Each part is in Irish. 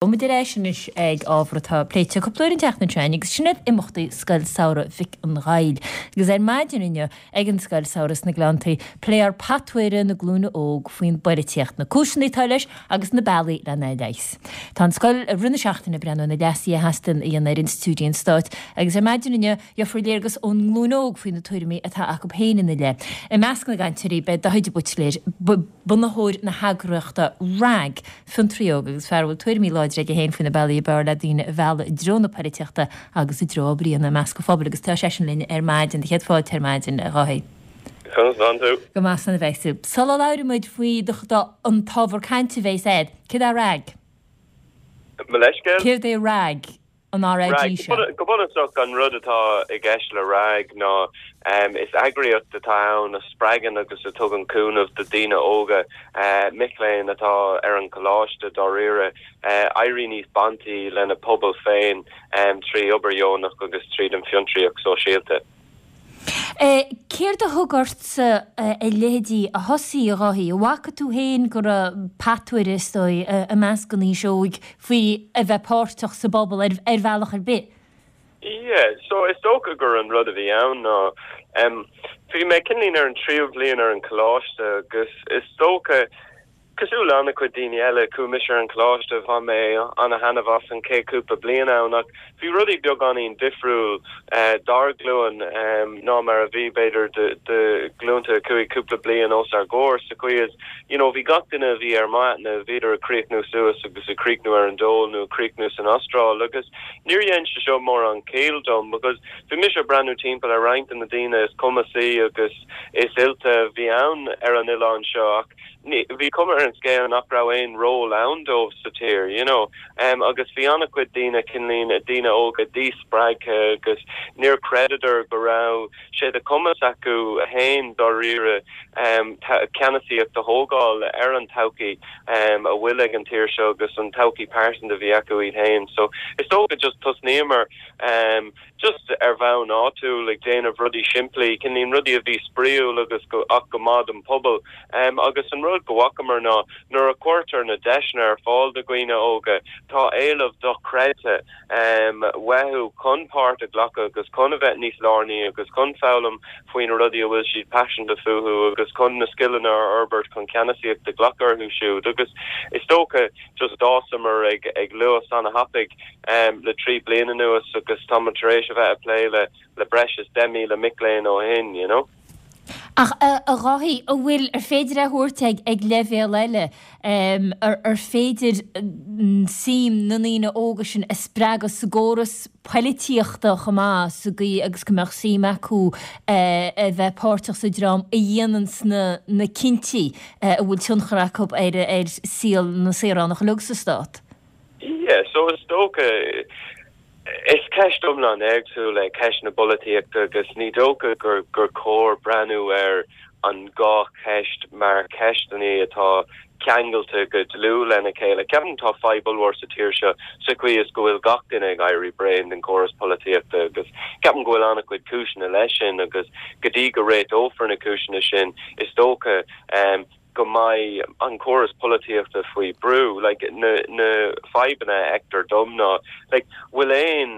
Muid ar ais anois ag ábhar atá pléite cúpla uair an tseachtain seo agus sin iad imeachtaí Scoil Samhraidh Mhic an Ghaill. Agus ar maidin inniu ag an Scoil Samhraidh sna Gleanntaí, pléifear patuaire na glúine óg faoin bpoilitíocht, na cúiseanna atá leis agus na bealaí lena leigheas. Tá an scoil i rith na seachtaine ag breathnú ar na leasuithe a theastaíonn a dhéanamh ar institiúidí an stáit agus ar maidin inniu gheofar léargas ón nglúin óg faoi na tuairimí atá acu féin ina leith. I measc na gcainteoirí beidh Daithí de Buitléir, bunaitheoir na heagraíochta RnaG, fiontraí óg agus fear a bhfuil tuairimí láidre aige féin faoi na bealaí ab fhearr le daoine a mhealladh i dtreo na poilitíochta agus i dtreo obair a dhéanamh i measc an phobail agus tá seisean linn ar maidin. Do chéad fáilte ar maidin, a Dháithí. Conas tánn tú? Go maith slán a bheas tú. Sula labhraíonn muid faoi do an t-ábhar cainte a bheas a'd, céard é RnaG? Mo leithscéal? Céard é RnaG? An RAG seo. Go bunúsach, an rud atá i gceist le RnaG ná is eagraíocht atá ann a spreagann agus a tugann cúnamh do daoine óga, mic léinn atá ar an choláiste dáiríre, éirí níos baintí lena pobal féin trí obair dheonach agus tríd an bhfiontraíocht sóisialta. Céard a thug ortsa a leithéidí a thosaí, a Dháithí? An bhfaca tú féin go raibh patuaire, is dóigh, i measc an aois óig faoi a bheith páirteach sa bpobal ar bhealach ar bith? Yeah, so is dócha gur an rud a bhí ann ná, bhí mé cineáilín ar an tríú bhliain ar an choláiste agus is dócha, Cosúil le an-chuid daoine eile, chuaigh mise ar an choláiste, bhain mé ana-thaitneamh as an chéad chúpla bliain ann ach bhí rudaí beagáinín difriúil dár ghlúin ná mar a bhí, b'fhéidir, do ghlúnta a chuaigh cúpla bliain os ár gcomhair sa chaoi is, you know, bhí gach duine a bhí ar m'aithne, bhíodar ag críochnú suas agus ag críochnú ar an dól nó ag críochnú san Astráil agus níor dhein sé seo mórán ciall dom because bhí mise ag breathnú timpeall ar roinnt de na daoine is cumasaí agus is oilte a bhí ann ar an oileán seo ach bhí cuma ar an scéal nach raibh aon ról ann dóibh sa tír, you know. Agus bhí an-chuid daoine, cineáilín, daoine óga díspreagtha agus níor chreideadar go raibh sé de chumas acu fhéin dáiríre ceannasaíocht a thógáil ar an todhchaí a bhfuil ag an tír seo agus an todhchaí pearsanta a bhí acu iad fhéin. So is dócha just tosnaíomar just ar bhonn áitiúil ag déanamh rudaí simplí, cineáilín rudaí a bhí spraíúil agus go, ach go maith don pobal. Agus an rud go bhfacamar ná nuair a chuirtear na deiseanna ar fáil do dhaoine óga, tá éileamh dochreidte uathu chun páirt a ghlacadh agus chun a bheith níos lárnaí agus chun foghlaim faoi na rudaí a bhfuil siad paiseanta fúthu agus chun na scileanna a fhorbairt chun ceannasaíocht a ghlacadh orthu siúd. Agus is dócha just d'fhásamar ag, ag luas ana-thapaidh. le 3 bliana anuas agus tá muid tar éis a bheith ag plé le le breis is 10,000 mic léinn ó shin, you know. Ach a Dháithí, an bhfuil, ar féidir é a thabhairt ag ag leibhéal eile, ar ar féidir suim na ndaoine óga sin a spreagadh sa gcóras poilitíochta chomh maith, sa gcaoi agus go mbeadh suim acu a bheith páirteach sa dream a dhéananns na na cinntí a bhfuil tionchar acu ar ar saol na saoránach uilig sa stát? Yeah, so is dócha, is ceist iomlán éagsúil é ceist na polaitíochta agus ní dócha gur gur chóir breathnú ar an dhá cheist mar cheisteanna atá ceangailte go dlúth lena chéile. Ceapaim tá fadhb ollmhór sa tír seo sa chaoi is go bhfuil gach duine ag éirí bréan den chóras polaitíochta agus ceapaim go bhfuil an-chuid cúiseanna leis sin agus go dtí go réiteofar na cúiseanna sin is dócha go mbeidh an córas polaitíochta faoi brú. Like, na, na fadhbanna a fheictear dom ná, like, bhfuil aon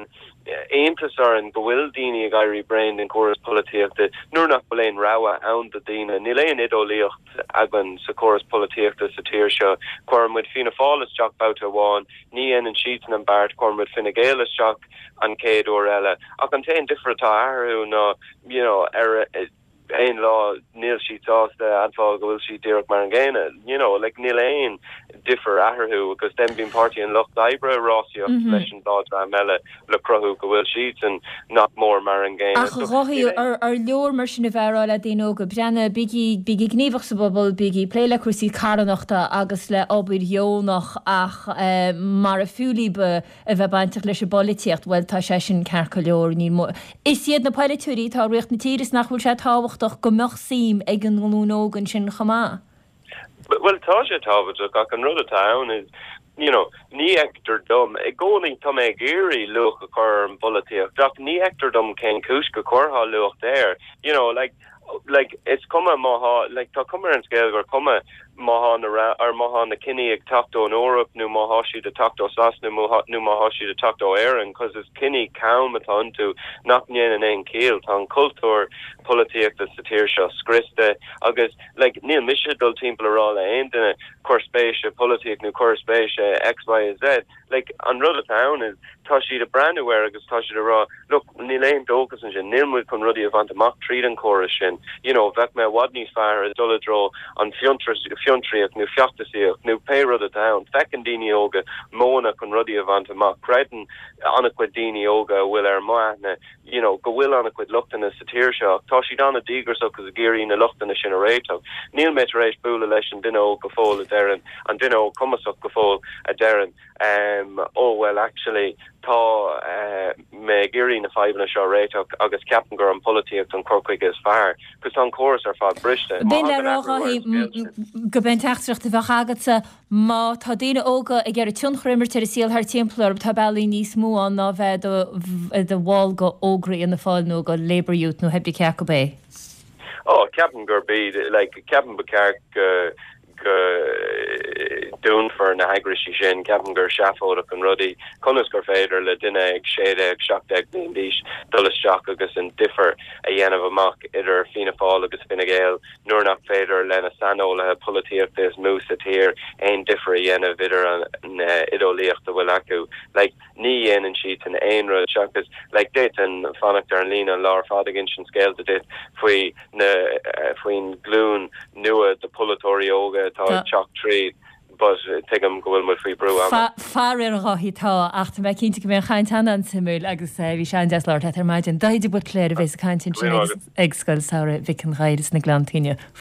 iontas orainn go bhfuil daoine ag éirí bréan den chóras polaitíochta nuair nach bhfuil aon rogha ann do daoine. Níl aon oideolaíocht againn sa chóras polaitíochta sa tír seo. Cuireann muid Fianna Fáil isteach babhta amháin, ní dhéanann siadsan an beart, cuireann muid Fine Gael isteach an chéad uair eile. Ach an t-aon difear atá eatarthu ná, you know, ar, aon lá níl siad sásta admháil go bhfuil siad díreach mar an gcéanna. You know, like níl aon difear eatarthu agus then bíonn Páirtí an Lucht Oibre ag rásaíocht leis an dá dream eile le cruthú go bhfuil siadsan nach mór mar an gcéanna. Ach a Dháithí, ar leor mar sin a bheith ag rá le daoine óga, breathnaigh, bígí, bígí gníomhach sa bpobal, bígí ag plé le cúrsaí carthanachta agus le obair dheonach ach mara fiú libh a bheith bainteach leis an bpolaitíocht, bhuel, tá sé sin ceart go leor, níl mó. Is iad na polaiteoirí atá ag ritheacht na tíre is nach bhfuil sé tábhachtach go mbeadh suim ag an nglúin óg ansin chomh maith? Bhuel, tá sé tábhachtach ach an rud atá ann is, you know, ní fheictear dom, i gcónaí tá mé ag iarraidh luach a chur ar an bpolaitíocht ach ní fheictear dom cén chúis go gcuirfeá luach air, you know, like, like, is cuma má thá, like, tá cuma ar an scéal gur cuma. Má thá na, or má thá na cinní ag teacht ón Eoraip nó má thá siad ag teacht ó Sasana nó má thá siad ag teacht ó Éirinn, cos is cinní cam atá iontu nach ndéanann aon chiall. Tá an cultúr polaitíochta sa tír seo scriosta agus like níl mise ag dul timpeall a rá le aon duine cuir spéis i polaitíocht nó cuir spéis i X, Y, Z. Like, an rud atá ann is, tá siad ag breathnú air agus tá siad ag rá, look, níl aon dóchas ansin, níl muid chun rudaí a bhaint amach tríd an chóras sin, you know, bheadh mé i bhfad níos fearr ag dul i dtreo an fiontraíocht nó feachtasaíocht nó pé rud atá ann. Feiceann daoine óga modhanna chun rudaí a bhaint amach. Creideann an-chuid daoine óga a bhfuil ar m'aithne, you know, go bhfuil an-chuid lochtanna sa tír seo ach tá siad an-díograiseach agus ag iarraidh na lochtanna sin a réiteach. Níl mé tar éis bualadh leis an duine óg go fóill a deireann, an duine óg cumasach go fóill a deireann, em, oh well actually tá eh, mé ag iarraidh na fadhbanna seo a réiteach agus ceapaim gur an pholaitíocht an cur chuige is fearr, cos tá an córas ar fad briste. Má B'in le thagann rá athrú ar an scéal sin. Gurb é an teachtaireacht a bheadh agatsa Má tá daoine óga ag iarraidh tionchar a imirt ar an saol thart timpeall orthu, tá bealaí níos mó ann ná bheith i do bhall de Ógra Fhianna Fáil nó de Labour Youth nó pé cé acu é. Ó, ceapaim gurb iad, like, ceapaim ba cheart go, go dúnfar na heagraisí sin, ceapaim gur seafóideach an rud í. Conas gur féidir le duine ag 16, 17 bliain d'aois dul isteach agus an difear a dhéanamh amach idir Fianna Fáil agus Fine Gael? nuair nach féidir le na saineolaithe polaitíochta is mó sa tír aon difear a dhéanamh idir an idéolaíocht a bhfuil acu. Like, ní dhéanann siadsan aon rud seachas, like, d'fhéadfainn fanacht ar an líne an lá ar fad ag insint scéalta duit faoi na, faoin ghlúin nua de pholaiteoirí óga atá ag teacht tríd. But tuigim go bhfuil muid faoi brú ama. Faraor, a Dháithí, tá, ach tá mé cinnte go mbeidh an chaint an-an-suimiúil agus bhí sé an-deas labhairt leat ar maidin. Dáithí de Buitléir a bheas ag caint ansin ag Scoil Samhraidh Mhic an Ghaill sna Gleanntaí inniu.